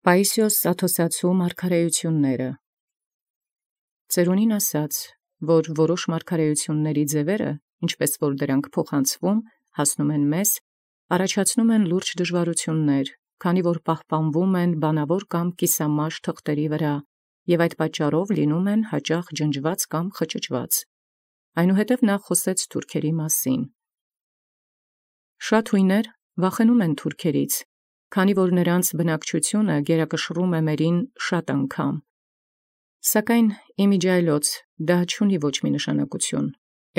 Պայիսիոս Աթոսացու մարգարեությունները Ծերունին ասաց, որ որոշ մարգարեությունների ձևերը, ինչպես որ դրանք փոխանցվում, հասնում են մեզ, առաջացնում են լուրջ դժվարություններ, քանի որ պահպանվում են բանավոր կամ կիսամաշ թղթերի վրա, և այդ պատճառով լինում են հաճախ ջնջված կամ խճճված։ Այնուհետև նա խոսեց թուրքերի մասին։ Շատ հույներ վախենում են թուրքերից, քանի որ նրանց բնակչությունը գերակշռում է մերին շատ անգամ։ Սակայն իմիջիայլոց դա չունի ոչ մի նշանակություն։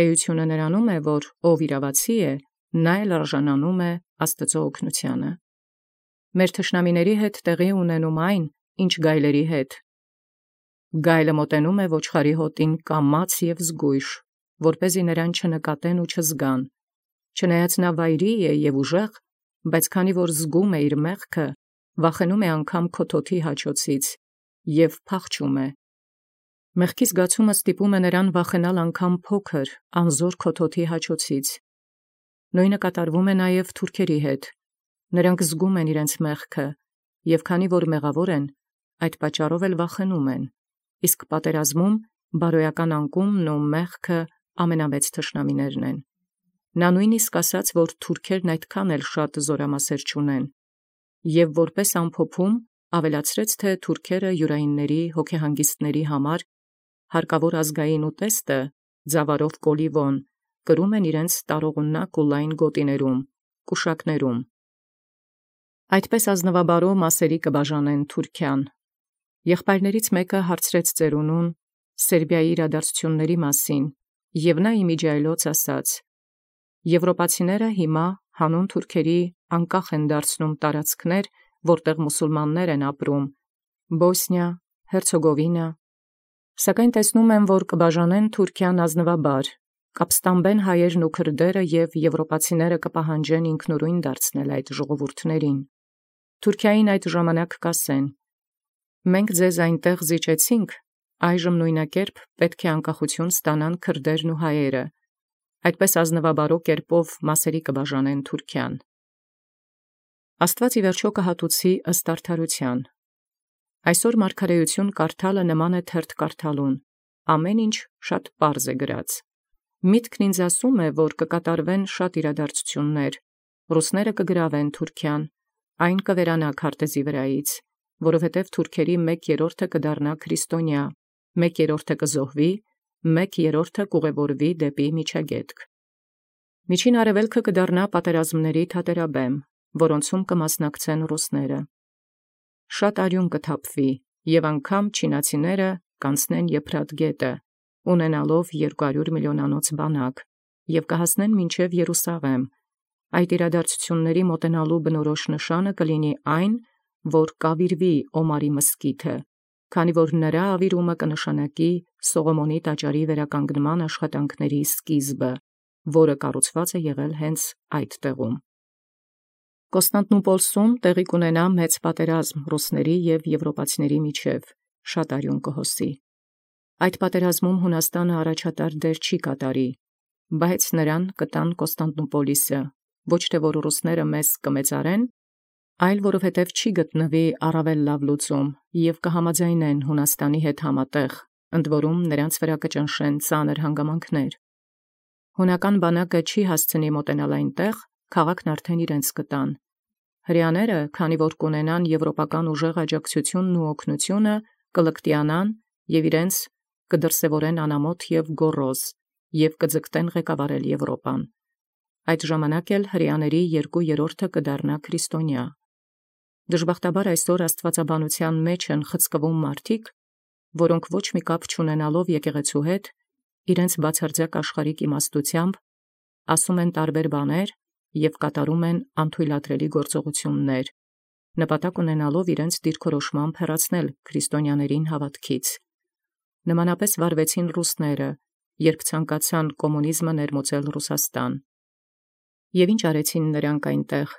Էությունը նրանում է, որ ով իրավացի է, նա էլ արժանանում է Աստծո օգնությանը։ Մեր թշնամիների հետ տեղի ունենում այն, ինչ գայլերի հետ։ Գայլը մոտենում է ոչխարի հոտին կամաց և զգույշ, որպեսզի նրան չնկատեն ու չզգան։ Չնայած նա վայրի է և ուժեղ, բայց քանի որ զգում է իր մեղքը, վախենում է անգամ քոթոթի հաչոցից և փախչում է։ Մեղքի զգացումը ստիպում է նրան վախենալ անգամ փոքր, անզոր քոթոթի հաչոցից։ Նույնը կատարվում է նաև թուրքերի հետ։ Նրանք զգում են իրենց մեղքը, և քանի որ մեղավոր են, այդ պատճառով էլ վախենում են, իսկ պատերազմում բարոյական անկումն ու մեղքը ամենամեծ թշնամիներն են։ Նա նույնիսկ ասաց, որ թուրքերն այդքան էլ շատ զորամասեր չունեն, և որպես ամփոփում ավելացրեց, թե թուրքերը յուրայինների հոգեհանգիստների համար հարկավոր ազգային ուտեստը ձավարով կոլիվոն կրում են իրենց տարողունակ ու լայն գոտիներում, կուշակներում։ Այդպես ազնվաբարո մասերի կբաժանեն Թուրքիան։ Եղբայրներից մեկը հարցրեց ծերունուն Սերբիայի իրադարձությունների մասին, և նա իմիջիայլոց ասաց. Եվրոպացիները հիմա հանուն թուրքերի անկախ են դարձնում տարածքներ, որտեղ մուսուլմաններ են ապրում, Բոսնիա, Հերցեգովինա, սակայն տեսնում եմ, որ կբաժանեն Թուրքիան ազնվաբար, կապստամբեն հայերն ու քրդերը և եվրոպացիները կպահանջեն ինքնուրույն դարձնել այդ ժողովուրդներին։ Թուրքիային այդ ժամանակ կասեն. մենք ձեզ այնտեղ զիջեցինք, այժմ նույնակերպ պետք է անկախություն ստանան քրդերն ու հայերը։ Այդպես ազնվաբարո կերպով մասերի կբաժանեն Թուրքիան։ Աստված ի վերջո կհատուցի ըստ արդարության։ Այսօր մարգարեություն կարդալը նման է թերթ կարդալուն, ամեն ինչ շատ պարզ է գրած։ Միտքն ինձ ասում է, որ կկատարվեն շատ իրադարձություններ, ռուսները կգրավեն Թուրքիան, այն կվերանա քարտեզի վրայից, որովհետև թուրքերի 1/3 կդառնա քրիստոնյա, 1/3 կզոհվի, 1/3 կուղևորվի դեպի միջագետք։ Միջին Արևելքը կդառնա պատերազմների թատերաբեմ, որոնցում կմասնակցեն ռուսները։ Շատ արյուն կթափվի, և անգամ չինացիները կանցնեն Եփրատ գետը, ունենալով 200 միլիոնանոց բանակ, և կհասնեն մինչև Երուսաղեմ։ Այդ իրադարձությունների մոտենալու բնորոշ նշանը կլինի այն, որ կավիրվի Օմարի մզկիթը, քանի որ նրա ավիրումը կնշանակի Սողոմոնի տաճարի վերականգնման աշխատանքների սկիզբը, որը կառուցված է եղել հենց այդ տեղում։ Կոստանդնուպոլսում տեղի կունենա մեծ պատերազմ ռուսների և եվրոպացիների միջև, շատ արյուն կհոսի։ Այդ պատերազմում Հունաստանը առաջատար դեր չի կատարի, բայց նրան կտան Կոստանդնուպոլիսը, ոչ թե որ ռուսները մեզ կմեծարեն, այլ որովհետև չի գտնվի առավել լավ լուծում և կհամաձայնեն Հունաստանի հետ համատեղ, ընդ որում նրանց վրա կճնշեն ծանր հանգամանքներ։ Հունական բանակը չի հասցնի մոտենալ այնտեղ, քաղաքն արդեն իրենց կտան։ Հրեաները, քանի որ կունենան եվրոպական ուժեղ աջակցությունն ու օգնությունը, կլկտիանան և իրենց կդրսևորեն անամոթ և գոռոզ, և կձգտեն ղեկավարել Եվրոպան։ Այդ ժամանակ էլ հրեաների 2/3 կդառնա քրիստոնյա։ Դժբախտաբար այսօր աստվածաբանության մեջ են խցկվում մարդիկ, որոնք ոչ մի կապ չունենալով եկեղեցու հետ, իրենց բացարձակ աշխարհիկ իմաստությամբ ասում են տարբեր բաներ և կատարում են անթույլատրելի գործողություններ, նպատակ ունենալով իրենց դիրքորոշմամբ հեռացնել քրիստոնյաներին հավատքից։ Նմանապես վարվեցին ռուսները, երբ ցանկացան կոմունիզմը ներմուծել Ռուսաստան։ Եվ ինչ արեցին նրանք այնտեղ։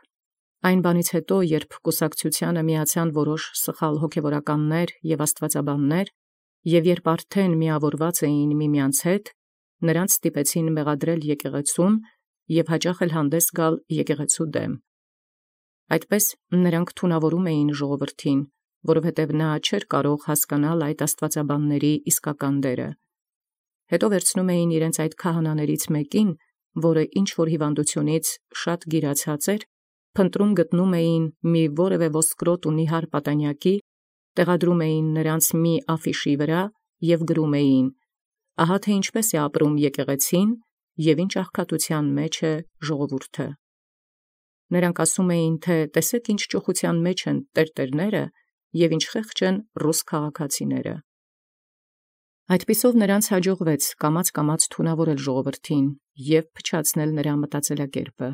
Այն բանից հետո, երբ կուսակցությանը միացան որոշ սխալ հոգևորականներ և աստվածաբաններ, և երբ արդեն միավորված էին միմյանց հետ, նրանց ստիպեցին մեղադրել եկեղեցուն և հաճախ էլ հանդես գալ եկեղեցու դեմ։ Այդպես նրանք թունավորում էին ժողովրդին, որովհետև նա չէր կարող հասկանալ այդ աստվածաբանների իսկական դերը։ Հետո վերցնում էին իրենց այդ քահանաներից մեկին, որը ինչ-որ հիվանդությունից շատ գիրացած էր, փնտրում գտնում էին մի որևէ ոսկրոտ ու նիհար պատանյակի, տեղադրում էին նրանց մի աֆիշի վրա և գրում էին. «Ահա թե ինչպես է ապրում եկեղեցին և ինչ աղքատության մեջ է ժողովուրդը»։ Նրանք ասում էին, թե տեսեք ինչ ճոխության մեջ են տերտերները և ինչ խեղճ են ռուս քաղաքացիները։ Այդպիսով նրանց հաջողվեց կամաց թունավորել ժողովրդին և փչացնել նրա մտածելակերպը։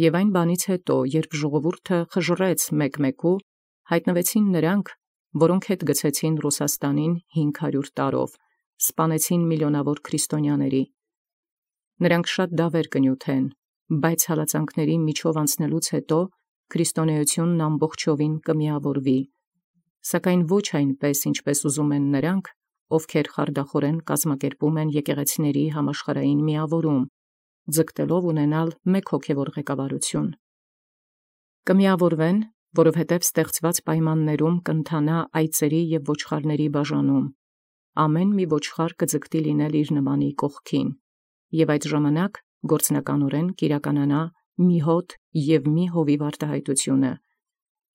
Եվ այն բանից հետո, երբ ժողովուրդը խժռեց մեկ-մեկու, հայտնվեցին նրանք, որոնք հետ գցեցին Ռուսաստանին 500 տարով, սպանեցին միլիոնավոր քրիստոնյաների։ Նրանք շատ դավեր կնյութեն, բայց հալածանքների միջով անցնելուց հետո քրիստոնեությունն ամբողջովին կմիավորվի, սակայն ոչ այնպես, ինչպես ուզում են նրանք, ովքեր խարդախորեն կազմակերպում են եկեղեցիների համաշխարհային միավորում, ձգտելով ունենալ մեկ հոգևոր ղեկավարություն։ Կմիավորվեն, որովհետև ստեղծված պայմաններում կընթանա այծերի և ոչխարների բաժանում, ամեն մի ոչխար կձգտի լինել իր նմանի կողքին, և այդ ժամանակ գործնականորեն կիրականանա մի հոտ և մի հովիվ արտահայտությունը։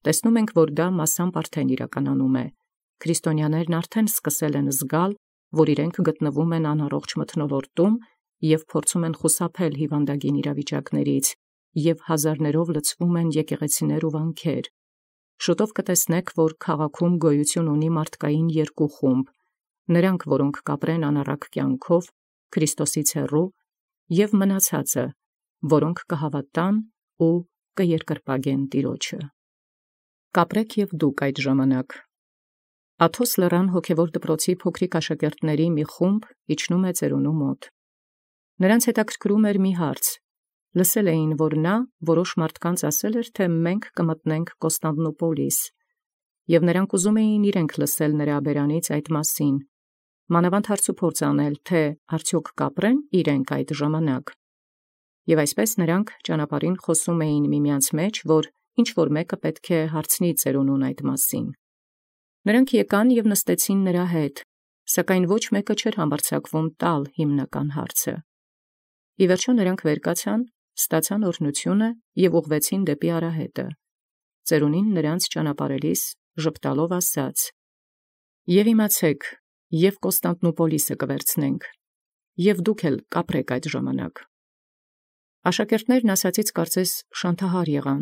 Տեսնում ենք, որ դա մասամբ արդեն իրականանում է։ Քրիստոնյաներն արդեն սկսել են զգալ, որ իրենք գտնվում են անառողջ մթնոլորտում և փորձում են խուսափել հիվանդագին իրավիճակներից, և հազարներով լցվում են եկեղեցիներ ու վանքեր։ Շուտով կտեսնեք, որ քաղաքում գոյություն ունի մարդկային երկու խումբ. նրանք, որոնք կապրեն անառակ կյանքով, Քրիստոսից հեռու, և մնացածը, որոնք կհավատան ու կերկրպագեն Տիրոջը։ Կապրեք և դուք այդ ժամանակ։ Աթոս լեռան հոգևոր դպրոցի փոքրիկ աշակերտների մի խումբ իջնում է ծերունու մոտ։ Նրանց հետաքրքրում էր մի հարց. լսել էին, որ նա որոշ մարդկանց ասել էր, թե մենք կմտնենք Կոստանդնուպոլիս, և նրանք ուզում էին իրենք լսել նրա բերանից այդ մասին, մանավանդ հարցուփորձ անել, թե արդյոք կապրեն իրենք այդ ժամանակ։ Եվ այսպես նրանք ճանապարհին խոսում էին միմյանց մեջ, որ ինչ-որ մեկը պետք է հարցնի ծերունուն այդ մասին։ Նրանք եկան և նստեցին նրա հետ, սակայն ոչ մեկը չէր համարձակվում տալ հիմնական հարցը։ Ի վերջո նրանք վեր կացան, ստացան օրհնությունը և ուղղվեցին դեպի արահետը։ Ծերունին նրանց ճանապարհելիս ժպտալով ասաց. «Եվ իմացեք, և Կոստանդնուպոլիսը կվերցնենք, և դուք էլ կապրեք այդ ժամանակ»։ Աշակերտներն ասածից կարծես շանթահար եղան։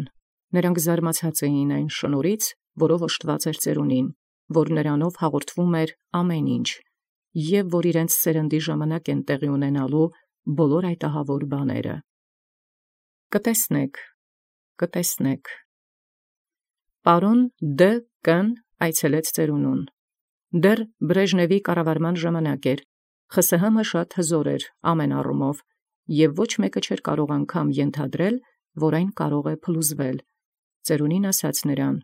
Նրանք զարմացած էին այն շնորհից, որով օժտված էր ծերունին, որ նրանով հաղորդվում էր ամեն ինչ, և որ իրենց սերնդի ժամանակ են տեղի ունենալու բոլոր այդ ահավոր բաները։ Կտեսնեք։ Պարոն Դ.Կ.-ն այցելեց ծերունուն։ Դեռ Բրեժնևի կառավարման ժամանակ էր, ԽՍՀՄ շատ հզոր էր ամեն առումով, և ոչ մեկը չէր կարող անգամ ենթադրել, որ այն կարող է փլուզվել։ Ծերունին ասաց նրան.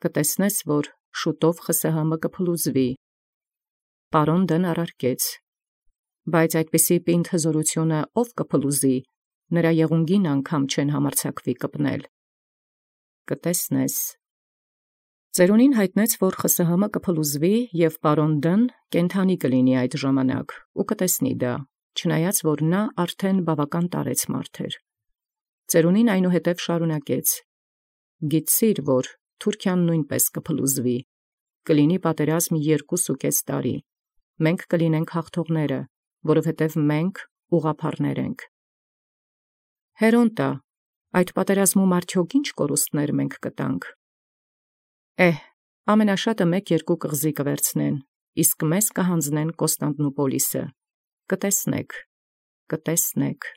«Կտեսնես, որ շուտով ԽՍՀՄ կփլուզվի»։ Պարոն Դ.-ն առարկեց. «Բայց այդպիսի պինդ հզորությունը ով կփլուզի, նրա եղունգին անգամ չեն համարձակվի կպնել»։ Կտեսնես։ Ծերունին հայտնեց, որ ԽՍՀՄ կփլուզվի, և պարոն Դ.-ն կենդանի կլինի այդ ժամանակ ու կտեսնի դա, չնայած որ նա արդեն բավական տարեց մարդ էր։ Ծերունին այնուհետև շարունակեց. «Գիտցիր, որ Թուրքիան նույնպես կփլուզվի, կլինի պատերազմ 2.5 տարի, մենք կլինենք հաղթողները, որովհետև մենք ուղղափառներ ենք»։ Հերոնտա, այդ պատերազմում արդյոք ինչ կորուստներ մենք կտանք։ Ամենաշատը 1-2 կղզի կվերցնեն, իսկ մեզ կհանձնեն Կոստանդնուպոլիսը։ Կտեսնեք։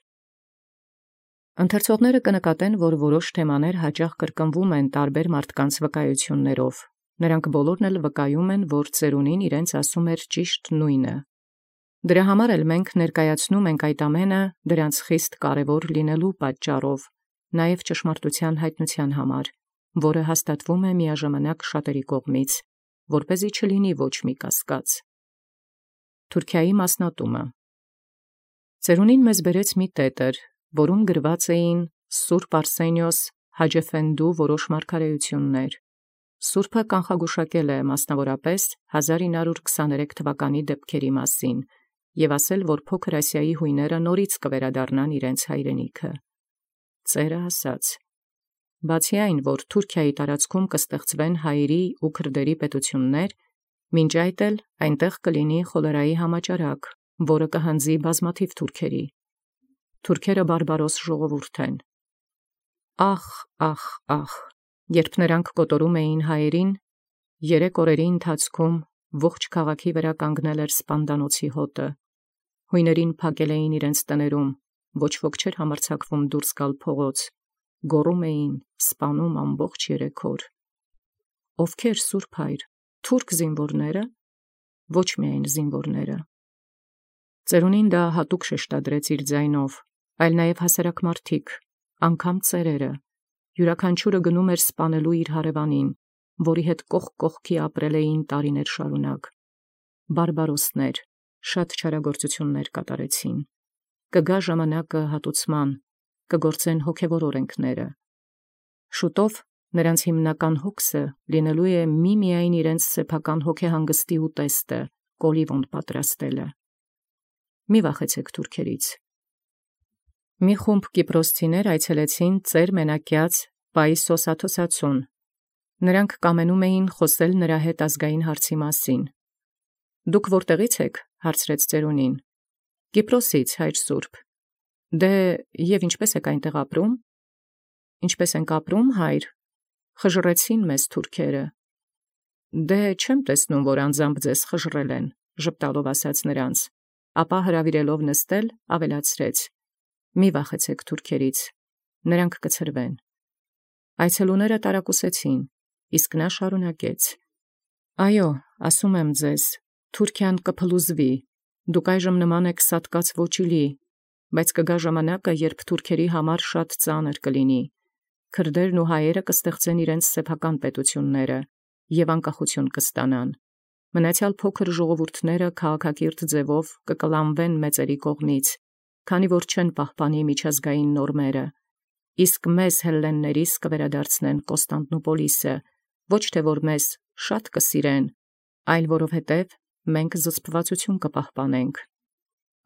Ընթերցողները կնկատեն, որ որոշ թեմաներ հաճախ կրկնվում են տարբեր մարդկանց վկայություններով։ Նրանք բոլորն էլ վկայում են, որ ծերունին իրենց ասում էր ճիշտ նույնը։ Դրա համար էլ մենք ներկայացնում ենք այդ ամենը դրանց խիստ կարևոր լինելու պատճառով, նաև ճշմարտության հայտնության համար, որը հաստատվում է միաժամանակ շատերի կողմից, որպեսզի չլինի ոչ մի կասկած։ Թուրքիայի մասնատումը։ Ծերունին մեզ բերեց մի տետր, որում գրված էին Սուրբ Արսենիոս Հաջեֆենդու որոշ մարգարեություններ, Սուրբը կանխագուշակել է մասնավորապես 1923 թվականի դեպքերի մասին եւ ասել, որ փոքր Ասիայի հույները նորից կվերադառնան իրենց հայրենիքը։ Ծերը ասաց. բացի այն, որ Թուրքիայի տարածքում կստեղծվեն հայերի ու քրդերի պետություններ, մինչ այդ էլ այնտեղ կլինի խոլերայի համաճարակ, որը կհանձի բազմաթիվ թուրքերի։ Թուրքերը բարբարոս ժողովուրդ են։ Ախ, ախ, ախ, երբ նրանք կոտորում էին հայերին, 3 օրերի ընթացքում ողջ քաղաքի վրա կանգնել էր սպանդանոցի հոտը։ Հույներին փակել էին իրենց տներում, ոչ ոք չէր համարձակվում դուրս գալ փողոց, գոռում էին, սպանում ամբողջ 3 օր։ Ովքեր, Սուրբ Հայր, թուրք զինվորները, ոչ միայն զինվորները։ Ծերունին դա հատուկ շեշտադրեց իր ձայնով, այլ նաև հասարակ մարդիկ, անգամ ծերերը, յուրաքանչյուրը գնում էր սպանելու իր հարևանին, որի հետ կողք կողքի ապրել էին տարիներ շարունակ։ Բարբարոսներ, շատ չարագործություններ կատարեցին։ Կգա ժամանակը հատուցման, կգործեն հոգևոր օրենքները։ Շուտով նրանց հիմնական հոգսը լինելու է միմիայն իրենց սեփական հոգեհանգստի ուտեստը, կոլիվոն պատրաստելը։ Մի վախեցեք թուրքերից։ Մի խումբ կիպրոսցիներ այցելեցին ծեր մենակյաց Պայիսոս Աթոսացուն։ Նրանք կամենում էին խոսել նրա հետ ազգային հարցի մասին։ Դուք որտեղից եք, հարցրեց ծերունին։ Կիպրոսից, հայր Սուրբ։ Դե եւ ինչպես եք այնտեղ ապրում։ Ինչպես ենք ապրում, հայր։ Խժռեցին մեզ թուրքերը։ Դե չեմ տեսնում, որ անձամբ ձեզ խժռել են, ժպտալով ասաց նրանց, ապա հրավիրելով նստել, ավելացրեց. մի վախեցեք թուրքերից, նրանք կցրվեն։ Այցելուները տարակուսեցին, իսկ նա շարունակեց. այո, ասում եմ ձեզ, Թուրքիան կփլուզվի, դուք այժմ նման եք սատկած ոչիլի, բայց կգա ժամանակը, երբ թուրքերի համար շատ ծանր կլինի։ Քրդերն ու հայերը կստեղծեն իրենց սեփական պետությունները եւ անկախություն կստանան։ Մնացյալ փոքր ժողովուրդները քաղաքակիրթ ձևով կկլանվեն մեծերի կողմից, քանի որ չեն պահպանի միջազգային նորմերը, իսկ մեզ հելլեններիս կվերադարձնեն Կոստանդնուպոլիսը, ոչ թե որ մեզ շատ կսիրեն, այլ որովհետև մենք զսպվածություն կպահպանենք։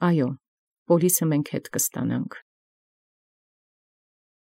Այո, Պոլիսը մենք հետ կստանանք։